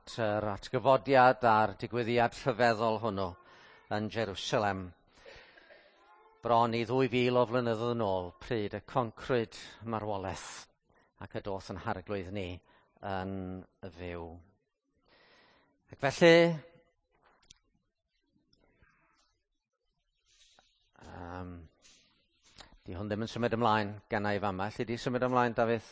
at yr atgyfodiad a'r digwyddiad rhyfeddol hwnnw yn Jerusalem. Bron i 2000 o flynyddoedd yn ôl, pryd y concrwyd marwolaeth ac y doth yn harglwydd ni yn fyw. Ac felly, di hwn ddim yn symud ymlaen ganna i fama. Alli di symud ymlaen, Dafydd?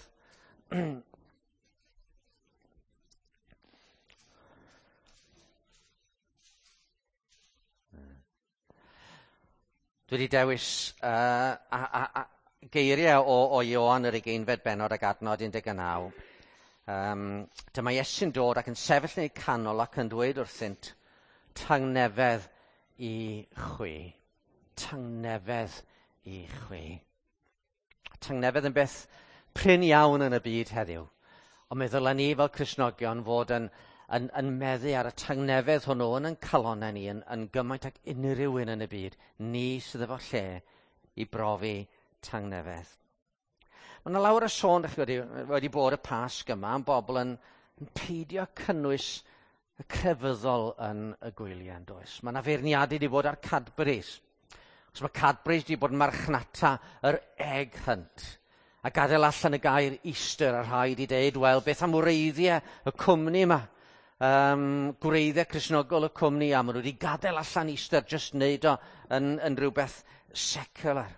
Dwi wedi dewis a geiriau o Ioan yr ugeinfed bennod ac adnod 19. Dyma Iesu'n dod ac yn sefyll yn eu canol ac yn dweud wrthynt, tangnefedd i chwi. Tangnefedd i chwi. Tangnefedd yn beth prin iawn yn y byd heddiw. Ond mi ddylen ni fel Cristnogion fod yn meddu ar y tangnefedd hwnnw yn ein calonnau ni yn gymaint ag unrhyw un yn y byd. Ni sydd efo lle i brofi tangnefedd. Mae yna lawer o sôn, dach chi wedi bod y Pasg yma, am bobl yn peidio cynnwys y crefyddol yn y gwyliau, yn does? Mae yna feirniadu wedi bod ar Cadbury's. Os mae Cadbury's wedi bod yn marchnata yr egg hunt a gadael allan y gair Easter, a rhaid i deud, wel, beth am wreiddiau y cwmni yma? Gwreiddiau Cristnogol y cwmni, a maen nhw wedi gadael allan Easter, jyst wneud o yn rhywbeth secular.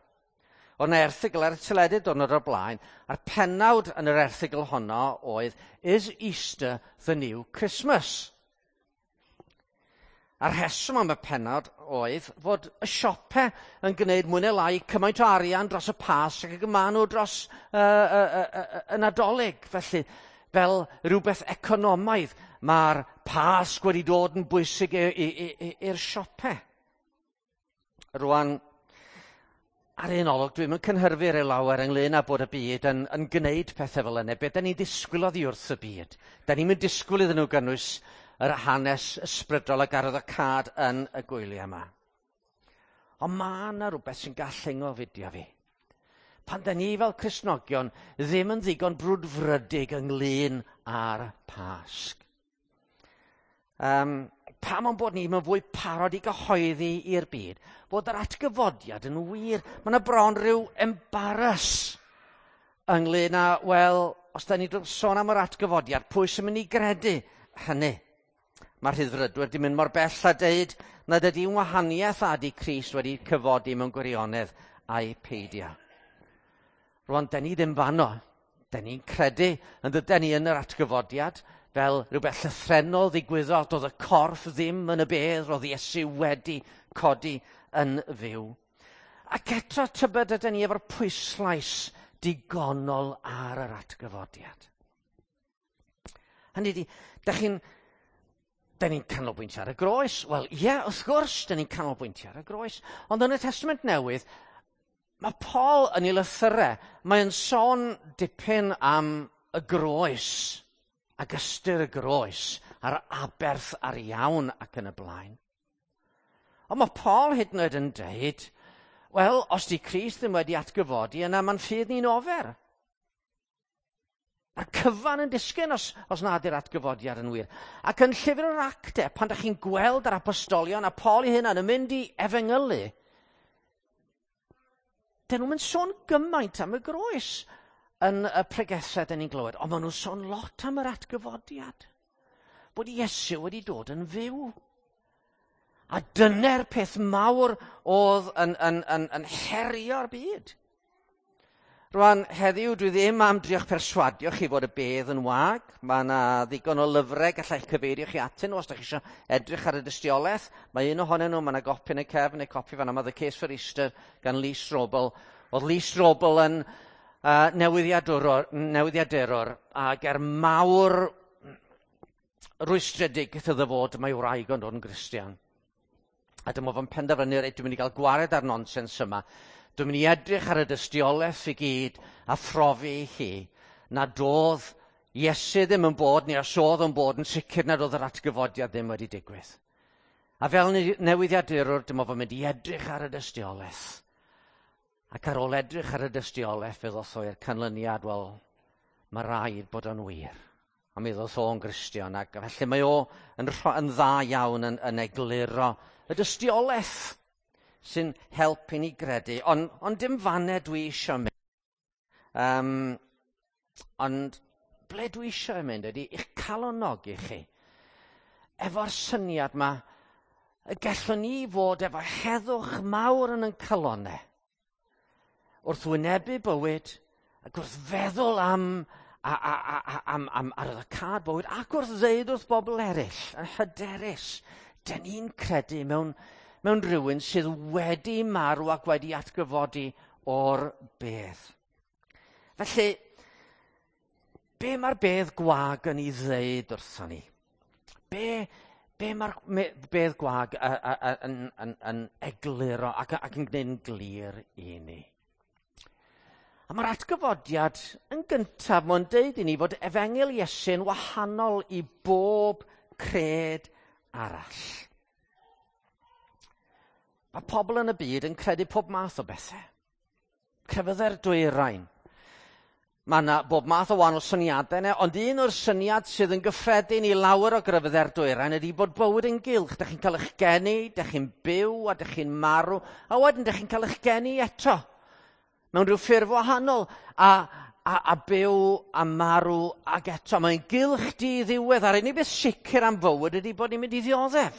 Oedd yna erthygl ar y teledu diwrnod o'r blaen, a'r pennawd yn yr erthygl honno oedd, Is Easter the new Christmas? A'r rheswm am y pennawd oedd fod y siopau yn gwneud mwy neu lai cymaint o arian dros y Pasg ac y maen nhw dros y Nadolig. Felly, fel rhywbeth economaidd, mae'r Pasg wedi dod yn bwysig i'r siopau. Rwan, ar un olwg, dwi'm yn cynhyrfu rhyw lawer ynglyn â bod y byd yn gwneud pethau fel yna. Be da ni'n disgwyl oddi wrth y byd? Da ni'n mynd disgwyl iddyn nhw gynnwys yr hanes ysbrydol ac arwyddocâd yn y gwyliau yma. Ond mae yna rhywbeth sy'n gallu ngofidio fi. Pan da ni fel Cristnogion ddim yn ddigon brwdfrydig ynglyn â'r Pasg. Pam o'n bod ni mewn fwy parod i gyhoeddi i'r byd fod yr atgyfodiad yn wir? Mae yna bron rhyw embarrass ynglyn â, wel, os da ni'n sôn am yr atgyfodiad, pwy sy'n mynd i gredu hynny? Mae'r rhyddfrydwyr wedi mynd mor bell a deud nad ydy'n wahaniaeth a ydy Crist wedi cyfodi mewn gwirionedd a'i peidio. Rwan, da ni ddim fanno. Da ni'n credu yn dyden ni yn yr atgyfodiad fel rhywbeth llythrennol ddigwyddodd, doedd y corff ddim yn y bedd, roedd Iesu wedi codi yn fyw. Ac eto tybed ydyn ni efo'r pwyslais digonol ar yr atgyfodiad. Hynny ydi, da ni'n canolbwyntio ar y groes. Wel, ie, wrth gwrs, da ni'n canolbwyntio ar y groes. Ond yn y Testament Newydd, mae Paul yn ei lythyrau, mae'n sôn dipyn am y groes, ac ystyr y groes, a'r aberth ar iawn ac yn y blaen. Ond mae Paul hyd yn oed yn deud, wel, os di Crist ddim wedi atgyfodi, yna mae'n ffydd ni'n ofer. A'r cyfan yn disgyn os nad yw'r atgyfodiad yn wir. Ac yn llyfr yr Actau, pan dach chi'n gweld yr apostolion a Paul ei hunan yn mynd i efengylu, dyn nhw'n mynd sôn gymaint am y groes yn y pregethau dyn ni'n glywed, ond maen nhw'n sôn lot am yr atgyfodiad. Bod Iesu wedi dod yn fyw. A dyna'r peth mawr oedd yn herio'r byd. Rwan, heddiw dwi ddim am drio'ch perswadio chi fod y bedd yn wag. Mae yna ddigon o lyfrau gallai'ch cyfeirio chi atyn nhw os ydych chi eisiau edrych ar y dystiolaeth. Mae un ohonyn nhw, mae yna gopi yn y cefn, neu copi fan yma, The Case for Easter gan Lee Strobel. Oedd Lee Strobel yn newyddiadurwr ac er mawr rwystredig iddo fod mae wraig o'n dod yn Gristion. A dyma fo'n penderfynu, reit, dwi'n mynd i gael gwared ar nonsens yma. Dwi'n mynd i edrych ar y dystiolaeth i gyd a phrofi i chi nad oedd Iesu ddim yn bod, neu os oedd yn bod, yn sicr nad oedd yr atgyfodiad ddim wedi digwydd. A fel newyddiadurwr, dyma fo'n mynd i edrych ar y dystiolaeth. Ac ar ôl edrych ar y dystiolaeth, fe ddoth o i'r canlyniad, wel, mae rhaid bod o'n wir. A mi ddoth o'n Gristion, ac felly mae o yn dda iawn yn egluro y dystiolaeth sy'n helpu ni gredu. Ond dim fanne dwi eisiau mynd. Ond ble dwi eisiau mynd ydy i'ch calonogi chi efo'r syniad yma y gallwn ni fod efo heddwch mawr yn ein calonnau wrth wynebu bywyd ac wrth feddwl am arwyddocâd bywyd ac wrth ddeud wrth bobl eraill yn hyderus, dyn ni'n credu mewn rhywun sydd wedi marw ac wedi atgyfodi o'r bedd. Felly, be mae'r bedd gwag yn ei ddeud wrthon ni? Be mae'r bedd gwag yn egluro ac yn gwneud yn glir i ni? A mae'r atgyfodiad yn gyntaf, mae'n deud i ni fod Efengyl Iesu'n wahanol i bob cred arall. Mae pobl yn y byd yn credu pob math o bethau. Crefyddau'r dwyrain. Mae yna bob math o wahanol syniadau yna, ond un o'r syniad sydd yn gyffredin i lawer o grefyddau'r dwyrain ydy bod bywyd yn gylch. Dych chi'n cael eich geni, dych chi'n byw a dych chi'n marw, a wedyn dych chi'n cael eich geni eto. Mewn rhyw ffurf wahanol, a byw a marw ac eto. Mae'n gylch di-ddiwedd, a'r unig beth sicr am fywyd ydy bod ni'n mynd i ddioddef.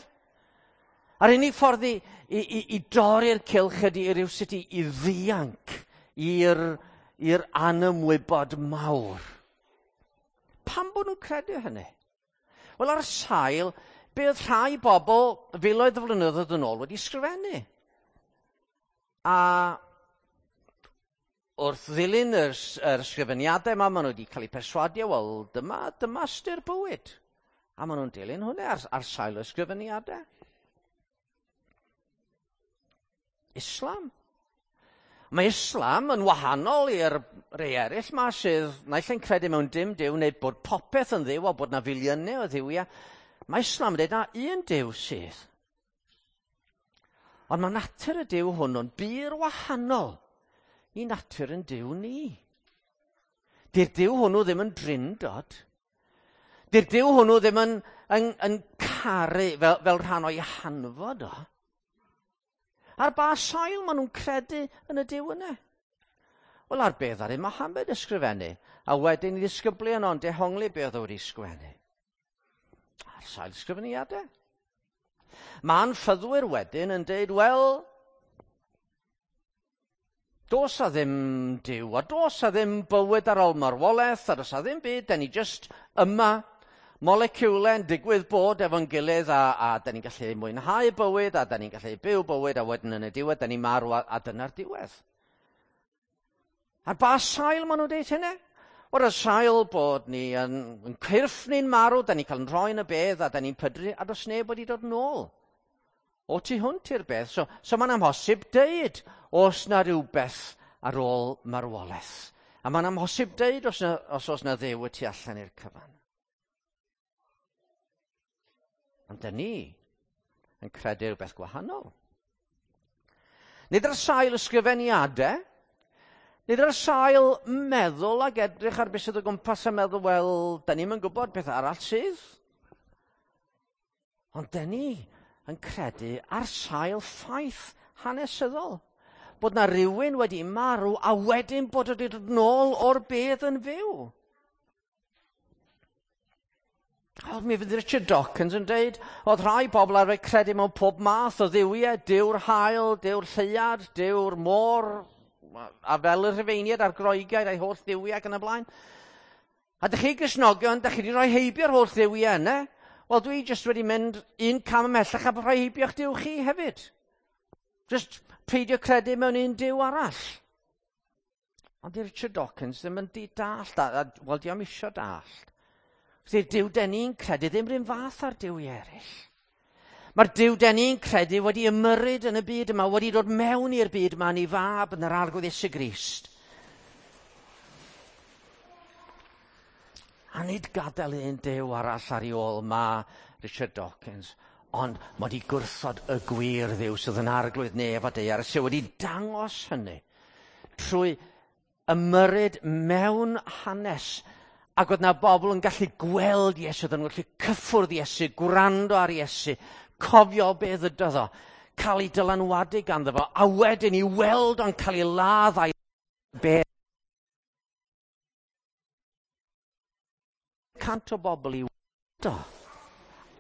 A'r unig ffordd i dorri'r cylch ydy i rywsut i ddianc i'r anymwybod mawr. Pam bod nhw'n credu hynny? Wel, ar sail, be oedd rhai bobl filoedd o flynyddoedd yn ôl wedi sgrifennu. A wrth ddilyn yr ysgrifeniadau yma, maen nhw wedi cael eu perswadio, wel, dyma ystyr bywyd. A maen nhw'n dilyn hwnna ar sail y ysgrifeniadau. Islam. Mae Islam yn wahanol i'r rhai eraill ma sydd naill ai'n credu mewn dim Duw neu bod popeth yn dduw a bod na filiynau o dduwiau. Mae Islam yn dweud na un Duw sydd. Ond mae natur y Duw hwnnw'n bur wahanol i natur yn Duw ni. Di'r Duw hwnnw ddim yn drindod. Di'r Duw hwnnw ddim yn caru fel rhan o'i hanfod o. Ar ba sail maen nhw'n credu yn y Duw yna? Wel, ar beth ar Muhammad ysgrifennu, a wedyn i ddisgyblion o'n dehongli be oedd o wedi sgwennu. Ar sail ysgrifeniadau. Mae'n ffyddwyr wedyn yn deud, wel, does a ddim Duw, a does a ddim bywyd ar ôl marwolaeth, a does a ddim byd, da ni jyst yma, moleciwlau yn digwydd bod efo'n gilydd, a da ni'n gallu mwynhau bywyd, a da ni'n gallu byw bywyd, a wedyn yn y diwedd, da ni'n marw, a dyna'r diwedd. Ar ba sail maen nhw'n deud hynny? Wel, ar sail bod ni yn cyrff ni'n marw, da ni'n cael yn rhoi yn y bedd, a da ni'n pydru, a does neb wedi dod nôl o tu hwnt i'r bedd. So mae'n amhosib deud os na rhywbeth ar ôl marwolaeth. A mae'n amhosib deud os oes na Dduw y tu allan i'r cyfan. Ond dyn ni yn credu rhywbeth gwahanol. Nid ar sail ysgrifeniadau, nid ar sail meddwl ac edrych ar beth sydd o gwmpas a meddwl, wel, dyn ni'm yn gwybod beth arall sydd. Ond dyn ni yn credu ar sail ffaith hanesyddol. Bod na rywun wedi marw a wedyn bod wedi dod nôl o'r bedd yn fyw. O, mi fydd Richard Dawkins yn deud, oedd rhai bobl arfer credu mewn pob math o dduwiau, Duw'r haul, Duw'r lleuad, Duw'r môr, a fel y Rhufeiniaid a'r Groegiaid a'i holl dduwiau ac yn y blaen. A dych chi Gristnogion, dych chi wedi rhoi heibio'r holl dduwiau yna. Wel, dwi jyst wedi mynd un cam ymhellach a rhoi heibio'ch Duw chi hefyd. Jyst peidio credu mewn un Duw arall. Ond di Richard Dawkins ddim yn di dallt, wel, di o'm isio dallt. Di'r Duw den ni'n credu ddim rhywun fath ar duwiau eraill. Mae'r Duw den ni'n credu wedi ymyrryd yn y byd yma, wedi dod mewn i'r byd yma yn ei fab yn yr Arglwydd Iesu Grist. A nid gadael un Duw arall ar ei ôl ma Richard Dawkins, ond mae wedi gwrthod y gwir Dduw sydd yn Arglwydd nef a daear, sydd wedi dangos hynny trwy ymyrryd mewn hanes Ac oedd na bobl yn gallu gweld Iesu, oedden nhw'n gallu cyffwrdd Iesu, gwrando ar Iesu, cofio be ddydodd o, cael ei dylanwadu ganddo fo, a wedyn i weld o'n cael ei ladd a'i bedd. 100 o bobl i weld o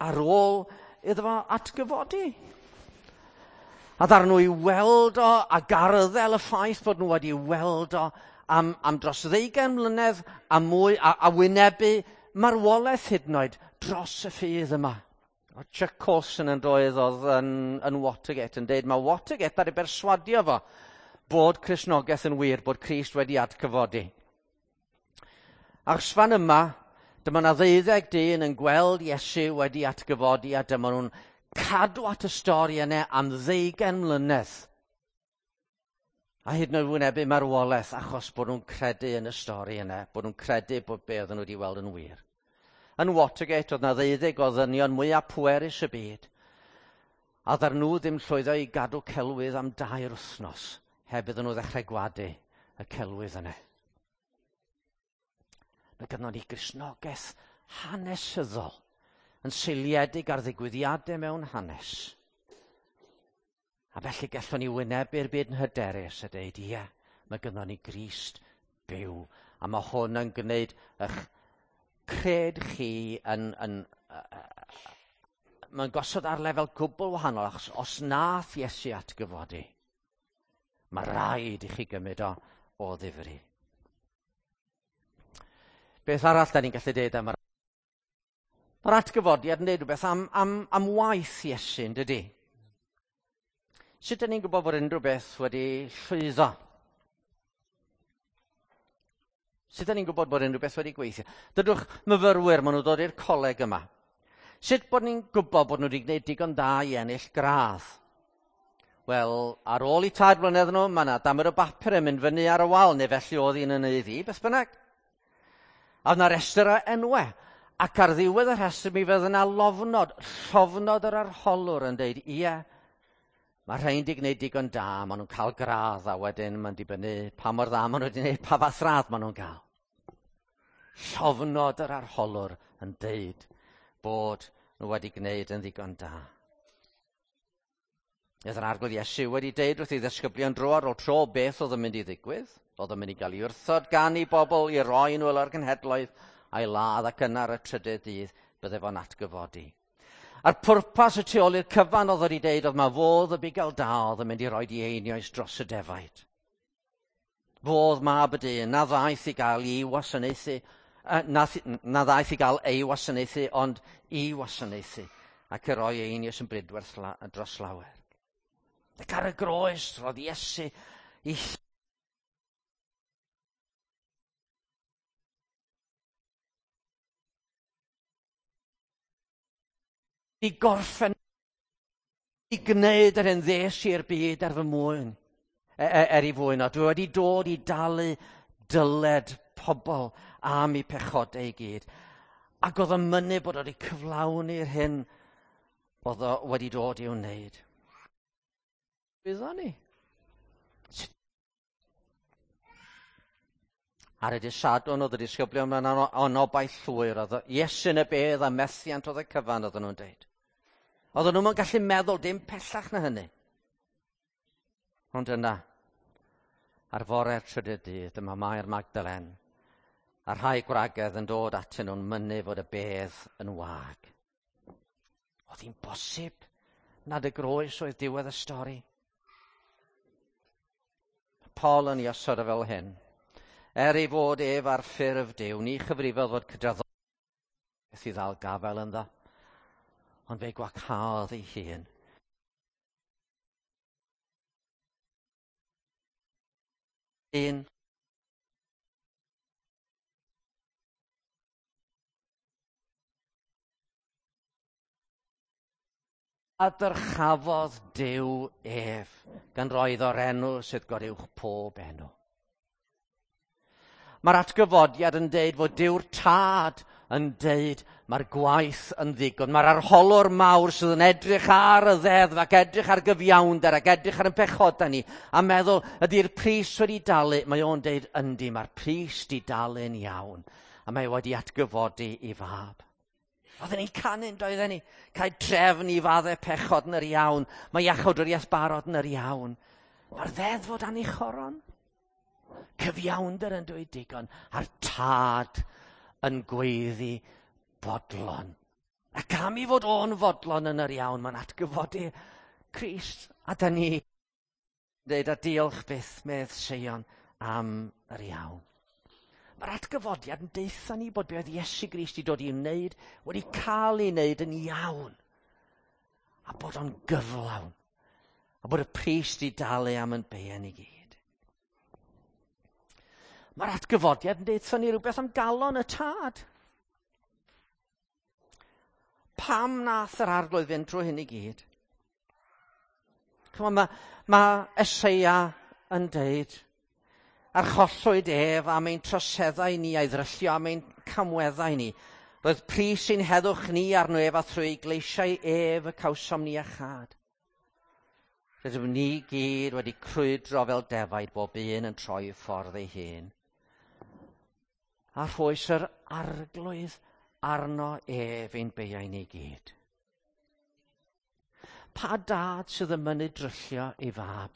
ar ôl iddo fo atgyfodi. A ddaru nhw i weld o a garddel y ffaith bod nhw wedi weld o am dros 20 mlynedd a mwy a wynebu marwolaeth hyd yn oed dros y ffydd yma. O Chuck Colson yn doedd oedd yn Watergate yn deud mae Watergate ar ei berswadio fo bod Cristnogaeth yn wir, bod Crist wedi atgyfodi. Achos fan yma, dyma na 12 dyn yn gweld Iesu wedi atgyfodi a dyma nhw'n cadw at y stori yna am 20 mlynedd. A hyd yn oed wynebu marwolaeth achos bod nhw'n credu yn y stori yna, bod nhw'n credu bod be oedden nhw wedi weld yn wir. Yn Watergate oedd na 12 o ddynion mwyaf pwerus y byd. A ddar nhw ddim llwyddo i gadw celwydd am 2 wythnos heb iddyn nhw ddechrau gwadu y celwydd yna. Mae gynnon ni Gristnogaeth hanesyddol yn seiliedig ar ddigwyddiadau mewn hanes. A felly gallwn ni wynebu'r byd yn hyderus a dweud, ie, mae gynnon ni Grist byw. A mae hwn yn gwneud eich cred chi mae'n gosod ar lefel gwbl wahanol, achos os nath Iesu atgyfodi, mae rhaid i chi gymryd o ddifri. Beth arall da ni'n gallu deud am yr... Mae'r atgyfodiad yn deud rhywbeth am waith Iesu, yn dydi? Sut da ni'n gwybod bod unrhyw beth wedi llwyddo? Sut da ni'n gwybod bod unrhyw beth wedi gweithio? Dydwch myfyrwyr, maen nhw'n dod i'r coleg yma. Sut bod ni'n gwybod bod nhw wedi gwneud digon da i ennill gradd? Wel, ar ôl i 3 blynedd nhw, mae yna damer o bapur yn mynd fyny ar y wal, neu felly oedd un yn ei ddi, beth bynnag. A oedd yna restr o enwau, ac ar ddiwedd y rhestr mi fydd yna lofnod, llofnod yr arholwr yn deud, ie, mae rhain wedi gwneud digon da, maen nhw'n cael gradd, a wedyn mae'n dibynnu pa mor dda maen nhw wedi gwneud, pa fath radd maen nhw'n cael. Llofnod yr arholwr yn deud bod nhw wedi gwneud yn ddigon da. Oedd yr Arglwydd Iesu wedi deud wrth ei ddisgyblion dro ar ôl tro beth oedd yn mynd i ddigwydd. Oedd yn mynd i gael ei wrthod gan ei bobl i roi nhw o'r genhedloedd a'i ladd ac yna ar y trydydd dydd bydde fo'n atgyfodi. A'r pwrpas y tu ôl i'r cyfan oedd wedi deud oedd mae fodd y bugail da oedd yn mynd i roi ei einioes dros y defaid. Fodd mab y dyn na ddaeth i gael ei wasanaethu, na ddaeth i gael ei wasanaethu, ond i wasanaethu ac i roi ei einioes yn bridwerth dros lawer. Ac ar y groes roedd Iesu i gorffen i gwneud yr hyn ddes i'r byd ar fy mwyn, er i fwyn o. Dwi wedi dod i dalu dyled pobl am eu pechodau i gyd. Ac oedd yn mynnu bod wedi cyflawni'r hyn oedd o wedi dod i'w wneud. Byddwn ni. Ar y dydd Sadwrn oedd y disgyblion mewn anobaith llwyr. Oedd Iesu yn y bedd a methiant oedd y cyfan, oedden nhw'n deud. Oedden nhw'n gallu meddwl dim pellach na hynny. Ond yna, ar fore'r trydydd dydd, dyma Mair Magdalen a rhai gwragedd yn dod atyn nhw'n mynnu fod y bedd yn wag. Oedd hi'n bosib nad y groes oedd diwedd y stori? Paul yn ei osod o fel hyn. Er ei fod ef ar ffurf Duw, ni chyfrifodd fod cydraddoldeb i ddal gafael ynddo, ond fe gwacaodd ei hun. Un. A dyrchafodd Duw ef, gan roi iddo'r enw sydd goruwch pob enw. Mae'r atgyfodiad yn deud fod Duw'r Tad yn deud mae'r gwaith yn ddigon. Mae'r arholwr mawr sydd yn edrych ar y ddeddf ac edrych ar gyfiawnder ac edrych ar ein pechodau ni a meddwl ydy'r pris wedi dalu. Mae o'n deud yndi, mae'r pris di dalu'n iawn. a mae wedi atgyfodi i fab. Oedden ni'n canu'n doedden ni? Cael trefn i faddau pechod yn yr iawn. Mae iachawdwriaeth barod yn yr iawn. Mae'r ddeddf o dan ei choron. Cyfiawnder yn dweud digon. A'r tad yn gweiddi bodlon. Ac am i fod o'n fodlon yn yr iawn, mae'n atgyfodi Crist. A da ni dweud a diolch byth medd Seion am yr iawn. Mae'r atgyfodiad yn deutha ni bod be oedd Iesu Grist i dod i wneud wedi cael ei wneud yn iawn. A bod o'n gyflawn. A bod y pris di dalu am yn beien i gyd. Mae'r atgyfodiad yn deutha ni rhywbeth am galon y tad. Pam nath yr arglwydd fynd drwy hyn i gyd? Chymod, mae Eseia yn deud, archollwyd ef am ein troseddau ni a'i ddryllio am ein camweddau ni. Roedd pris ein heddwch ni arno ef a thrwy gleisiau ef y cawsom ni a chad. Rydym ni gyd wedi crwydro fel defaid bob un yn troi ffordd ei hun. A rhoes yr arglwydd arno ef ein beiau ni gyd. Pa dad sydd yn mynnu dryllio ei fab?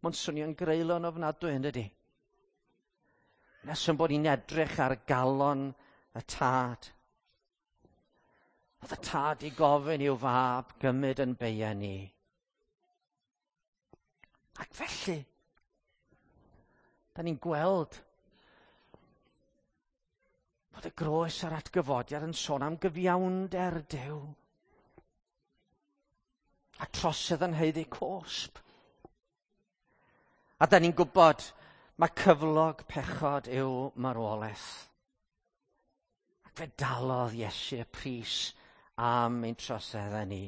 Mae'n swnio'n greulon ofnadwy, yn dydi? Nes yn bod ni'n edrych ar galon y tad. Oedd y tad i gofyn i'w fab gymryd yn beiau ni. Ac felly, da ni'n gweld bod y groes a'r atgyfodiad yn sôn am gyfiawnder Duw. A trosedd yn haeddu cosb. A da ni'n gwybod mae cyflog pechod yw marwolaeth. Ac fe dalodd Iesu y pris am ein troseddau ni.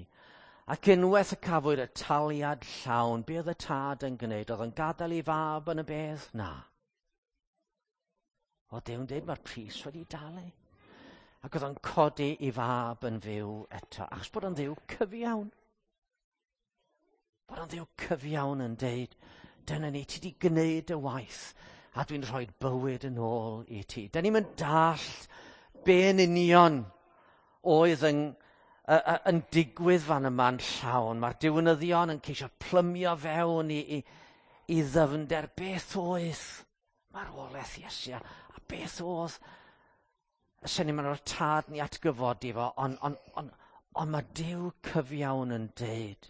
Ac unwaith y cafwyd y taliad llawn, be oedd y tad yn gwneud? Oedd yn gadael ei fab yn y bedd? Na. Oedd Duw'n dweud mae'r pris wedi dalu. Ac oedd o'n codi ei fab yn fyw eto. Achos bod o'n Dduw cyfiawn. Bod o'n Dduw cyfiawn yn deud, dyna ni, ti wedi gwneud y waith, a dwi'n rhoi bywyd yn ôl i ti. Da ni'n mynd dallt be yn union oedd yn digwydd fan yma'n llawn. Mae'r diwinyddion yn ceisio plymio fewn i ddyfnder beth oedd marwolaeth Iesu a beth oedd y syniad ma'n o'r tad ni atgyfodi fo, ond mae Duw cyfiawn yn deud.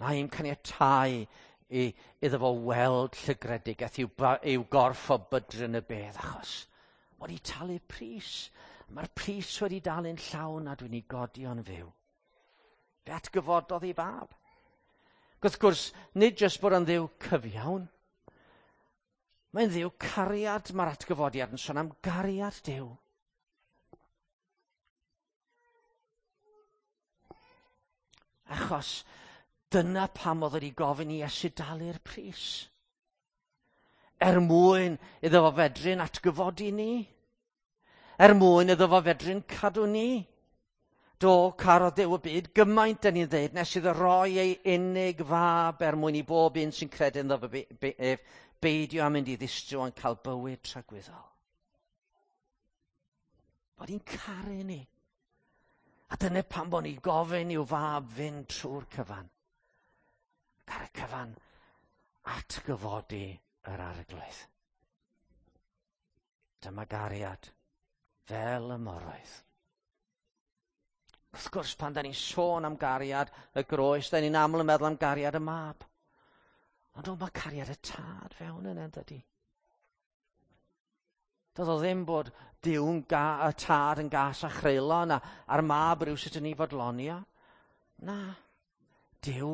Na i'm caniatáu iddo fo weld llygredigaeth i'w gorff o bydryn y bedd, achos wedi talu pris. Mae'r pris wedi dalu'n llawn a dwi'n ei godi o'n fyw. Fe atgyfododd ei fab. Wrth gwrs, nid jyst bod yn Dduw cyfiawn. Mae'n Dduw cariad, mae'r atgyfodiad yn sôn am gariad Duw. Achos dyna pam oedd wedi gofyn i Iesu dalu'r pris. Er mwyn iddo fo fedru'n atgyfodi ni. Er mwyn iddo fo fedru'n cadw ni. Do, carodd Duw y byd gymaint dan ni'n dweud nes iddo roi ei unig fab er mwyn i bob un sy'n credu ynddo fo ef beidio â mynd i ddistryw ond cael bywyd tragwyddol. Bod hi'n caru ni. A dyna pam bod ni gofyn i'w fab fynd trwy'r cyfan. Ac ar y cyfan atgyfodi yr arglwydd. Dyma gariad fel y moroedd. Wrth gwrs, pan da ni'n sôn am gariad y groes, da ni'n aml yn meddwl am gariad y mab. Ond o, mae cariad y tad fewn yna, dydy. Doedd o ddim bod Duw'n y tad yn gas a chreulon a'r mab rhywsut yn ei fodlonio. Na, Duw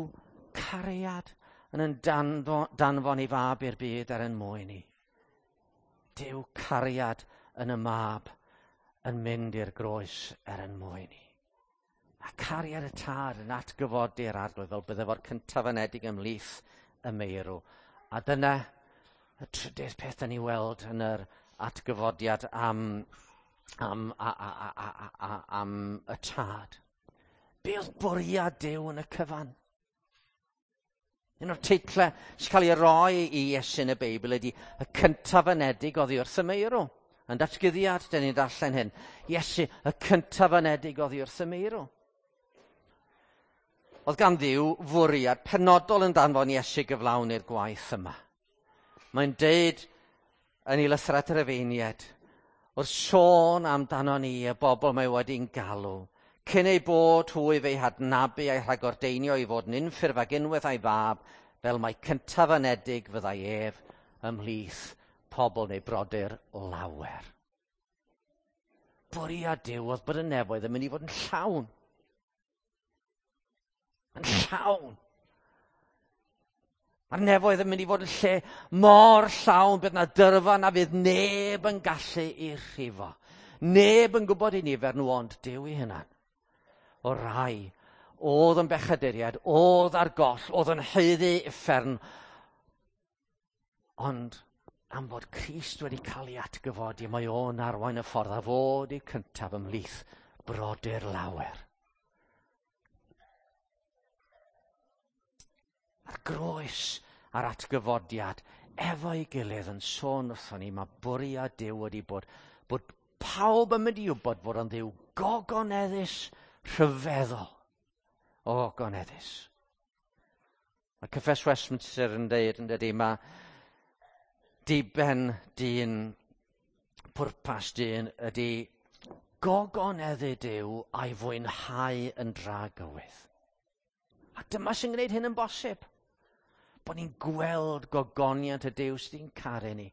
cariad yn danfon ei fab i'r byd er yn mwyn ni. Duw cariad yn y mab yn mynd i'r groes er yn mwyn ni. A cariad y tad yn atgyfodi'r arglwydd fel bydde fo'r cyntaf anedig ymhlith y meirw. A dyna y trydydd peth da ni weld yn yr atgyfodiad am y tad. Be oedd bwriad Duw yn y cyfan? Un o'r teitlau sy'n cael ei roi i Iesu yn y Beibl ydy y cyntaf anedig oddi wrth y meirw. Yn datguddiad, dyn ni'n darllen hyn. Iesu, y cyntaf anedig oddi wrth y meirw. Oedd gan Dduw fwriad penodol yn danfon Iesu gyflawni'r gwaith yma. Mae'n deud yn ei lythyr at yr Efeiniaid, wrth sôn amdano ni, y bobl mae wedi'n galw, cyn ei bod hwy fe'i hadnabu a'i rhagordeinio i fod yn unffurf ag unwaith a'i fab, fel mai cyntaf anedig fyddai ef ymhlith pobl neu brodyr lawer. Bwriad Duw oedd bod y nefoedd yn mynd i fod yn llawn. Yn llawn. Mae'r nefoedd yn mynd i fod yn lle mor llawn bydd na dyrfa na fydd neb yn gallu i rhifo. Neb yn gwybod i nifer nhw ond Duw ei hunan. O rai oedd yn bechaduriaid, oedd ar goll, oedd yn haeddu uffern, ond am fod Crist wedi cael ei atgyfodi, mae o'n arwain y ffordd a fod i'w cyntaf ymhlith brodyr lawer. A'r groes a'r atgyfodiad efo'i gilydd yn sôn wrthon ni, mae bwriad Duw wedi bod, bod pawb yn mynd i wybod fod o'n Dduw gogoneddus rhyfeddol. O, gogoneddus. Mae Cyffes Westminster yn dweud yn dydy, mae diben dyn, pwrpas dyn ydy gogoneddu Duw a'i fwynhau yn dragywydd. A dyma sy'n gwneud hyn yn bosib. Bod ni'n gweld gogoniant y Duw sydd yn caru ni.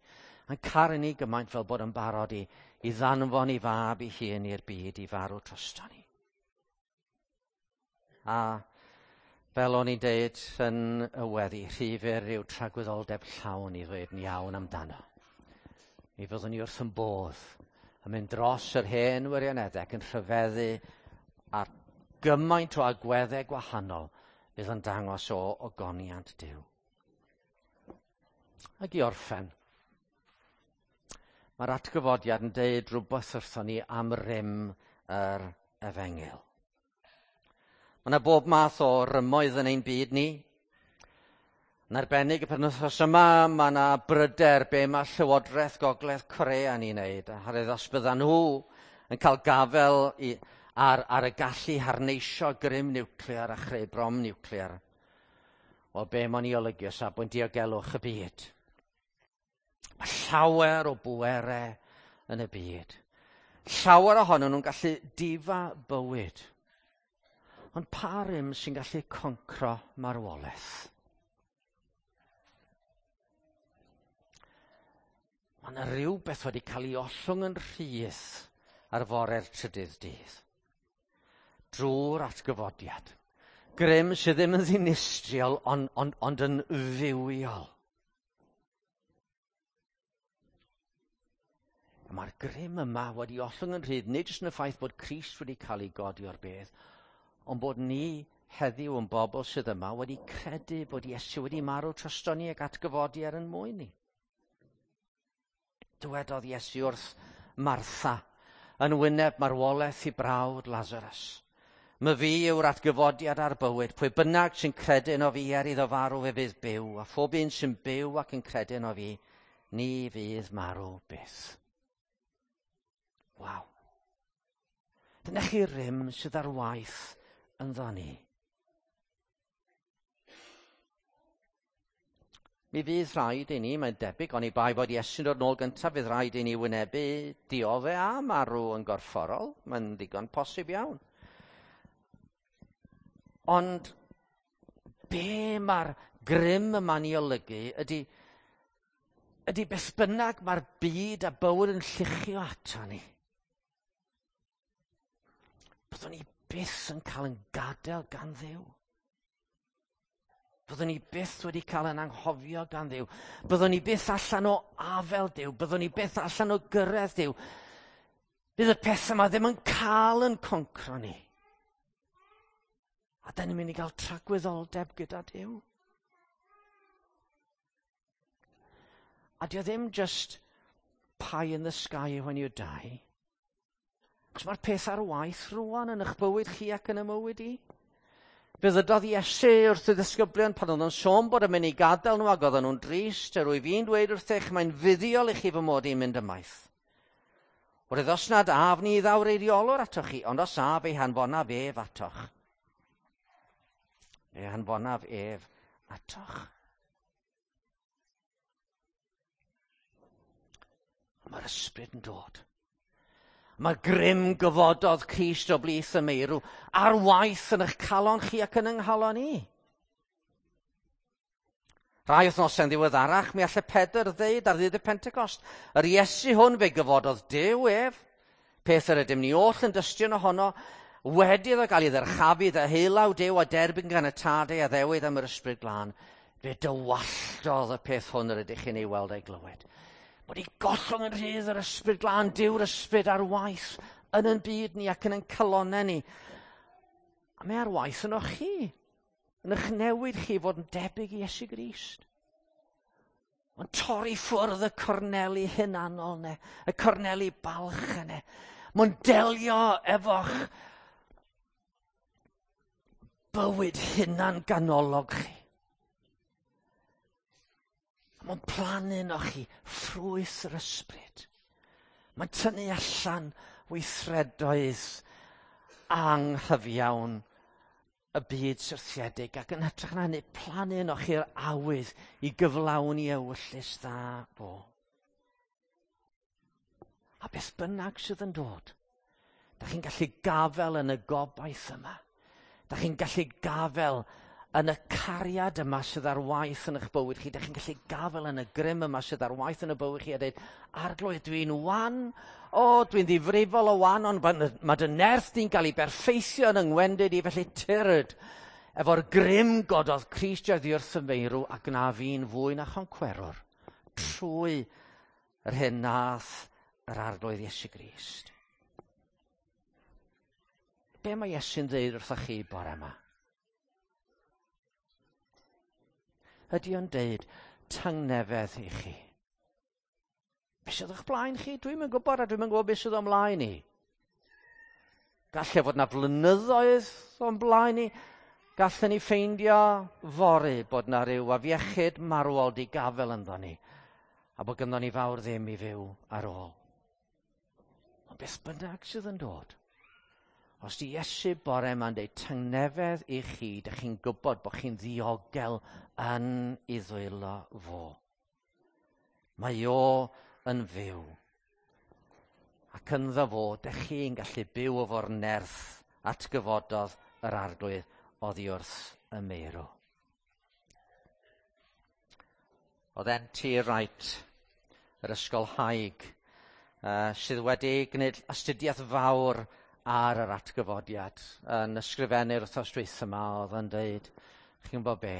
A'n caru ni gymaint fel bod yn barod i, i ddanfon i fab i hun i'r byd i farw drosto ni. A fel o'n i'n deud yn y weddi, rhy fyr yw tragwyddoldeb llawn i ddweud yn iawn amdano. Mi fyddwn ni wrth yn bodd yn mynd dros yr hen wirioneddau ac yn rhyfeddu ar gymaint o agweddau gwahanol fydd yn dangos o ogoniant Duw. Ac i orffen, mae'r atgyfodiad yn deud rhywbeth wrthon ni am rym yr efengyl. Mae yna bob math o rymoedd yn ein byd ni. Yn arbennig y penwythnos yma, mae yna bryder be mae Llywodraeth Gogledd Corea yn ei wneud. Oherwydd os byddan nhw yn cael gafel i, ar, ar y gallu harneisio grym niwclear a chreu brom niwclear, wel be mae'n ei olygu o safbwynt diogelwch y byd. Mae llawer o bwerau yn y byd. Llawer ohonyn nhw'n gallu difa bywyd. Ond pa rym sy'n gallu concro marwolaeth? Mae yna rhywbeth wedi cael ei ollwng yn rhydd ar fore'r trydydd dydd. Drwy'r atgyfodiad. Grym sydd ddim yn ddinistriol, ond, ond, ond yn fywiol. A mae'r grym yma wedi ollwng yn rhydd, nid jyst yn y ffaith bod Crist wedi cael ei godi o'r bedd, ond bod ni heddiw yn bobl sydd yma wedi credu bod Iesu wedi marw drosto ni ac atgyfodi er yn mwyn ni. Dywedodd Iesu wrth Martha yn wyneb marwolaeth i brawd Lazarus. My fi yw'r atgyfodiad a'r bywyd. Pwy bynnag sy'n credu yno fi er iddo farw fe fydd byw, a phob un sy'n byw ac yn credu yno fi, ni fydd marw byth. Waw. Dyna chi rym sydd ar waith ynddo ni. Mi fydd rhaid i ni, mae'n debyg, oni bai fod Iesu'n dod nôl gyntaf, fydd rhaid i ni wynebu diodde a marw yn gorfforol. Mae'n ddigon posib iawn. Ond be mae'r grym yma'n ei olygu ydy, ydy beth bynnag mae'r byd a bywyd yn lluchio ato ni. Byddwn ni byth yn cael yn gadael gan Dduw. Byddwn ni byth wedi cael yn anghofio gan Dduw. Byddwn ni byth allan o afel Duw. Byddwn ni byth allan o gyrraedd Duw. Bydd y pethau yma ddim yn cael yn concro ni. A da ni'n mynd i gael tragwyddoldeb gyda Duw. A dio ddim just pie in the sky when you die. Cos mae'r peth ar waith rwan yn eich bywyd chi ac yn y mywyd i. Fe ddydodd Iesu wrth y ddisgyblion pan oedd o'n sôn bod yn mynd i gadael nhw ac oedden nhw'n drist, yr wyf fi'n dweud wrthych, mae'n fuddiol i chi fy mod i'n mynd ymaith. Oherwydd os nad af ni ddaw'r eiriolwr atoch chi, ond os af ei hanfonaf ef atoch. Ei hanfonaf ef atoch. Mae'r ysbryd yn dod. Mae grym gyfododd Crist o blith y meirw ar waith yn eich calon chi ac yn yng nghalon i. Rai wythnosau'n ddiweddarach, mi allai Pedr ddeud ar ddydd y Pentecost, yr Iesu hwn fe gyfododd Duw ef, peth yr ydym ni oll yn dystion ohono, wedi iddo gael ei ddyrchafu ddeheulaw Duw a derbyn gan y Tad ei addewid am yr Ysbryd Glân, fe dywalltodd y peth hwn yr ydych chi'n ei weld a'i glywed. Bod ei gollwng yn rhydd yr Ysbryd Glân, Duw'r Ysbryd ar waith yn yn byd ni ac yn yn calonnau ni. A mae ar waith yno chi, yn eich newid chi fod yn debyg i Iesu Grist. Ond torri ffwrdd y corneli hunanol ne, y corneli balch yne. Mae'n delio efo'ch bywyd hunan ganolog chi. Mae'n plannu yno chi ffrwyth yr ysbryd. Mae'n tynnu allan weithredoedd anghyfiawn y byd syrthiedig ac yn hytrach na hynny plannu yno chi'r awydd i gyflawni ewyllys dda fo. A beth bynnag sydd yn dod, da chi'n gallu gafel yn y gobaith yma. Da chi'n gallu gafel yn y cariad yma sydd ar waith yn eich bywyd chi. Da chi'n gallu gafel yn y grym yma sydd ar waith yn y bywyd chi a dweud, Arglwydd, dwi'n wan, o, dwi'n ddifrifol o wan, ond mae dy nerth di'n cael ei berffeithio yn yngwendid i, felly tyrd efo'r grym gododd Crist oddi wrth y meirw a gwna fi'n fwy na choncwerwr trwy yr hyn nath yr Arglwydd Iesu Grist. Be mae Iesu'n dweud wrthoch chi bore yma? Ydy o'n deud tangnefedd i chi? Be sydd o'ch blaen chi? Dwi'm yn gwybod a dwi'm yn gwybod beth sydd o'm mlaen i. Galle fod na flynyddoedd o'n blaen i. Gallen ni ffeindio fory bod na ryw afiechyd marwol di gafel ynddo ni a bod gynddon ni fawr ddim i fyw ar ôl. Ond beth bynnag sydd yn dod, os di Iesu bore yma'n deud tangnefedd i chi, dych chi'n gwybod bod chi'n ddiogel yn ei ddwylo fo. Mae o yn fyw. Ac ynddo fo, dych chi'n gallu byw efo'r nerth atgyfododd yr Arglwydd oddi wrth y meirw. Oedd N.T. Wright, yr ysgolhaig, sydd wedi gwneud astudiaeth fawr ar yr atgyfodiad, yn ysgrifennu'r wythnos dwytha yma, oedd yn dweud, chi'n gwybod be,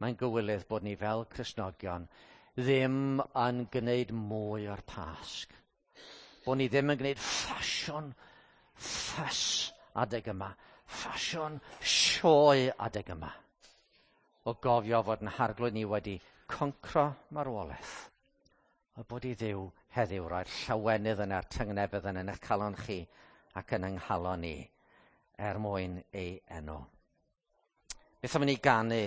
mae'n gywilydd bod ni fel Cristnogion ddim yn gwneud mwy o'r Pasg. Bod ni ddim yn gwneud ffasiwn ffys adeg yma, ffasiwn sioe adeg yma. O gofio fod yn harglwydd ni wedi concro marwolaeth. A bod i Dduw heddiw roi'r llawenydd yna'r tyngnefedd yna yn eich calon chi ac yn yng nghalon ni er mwyn ei enw. Beth am i ni ganu?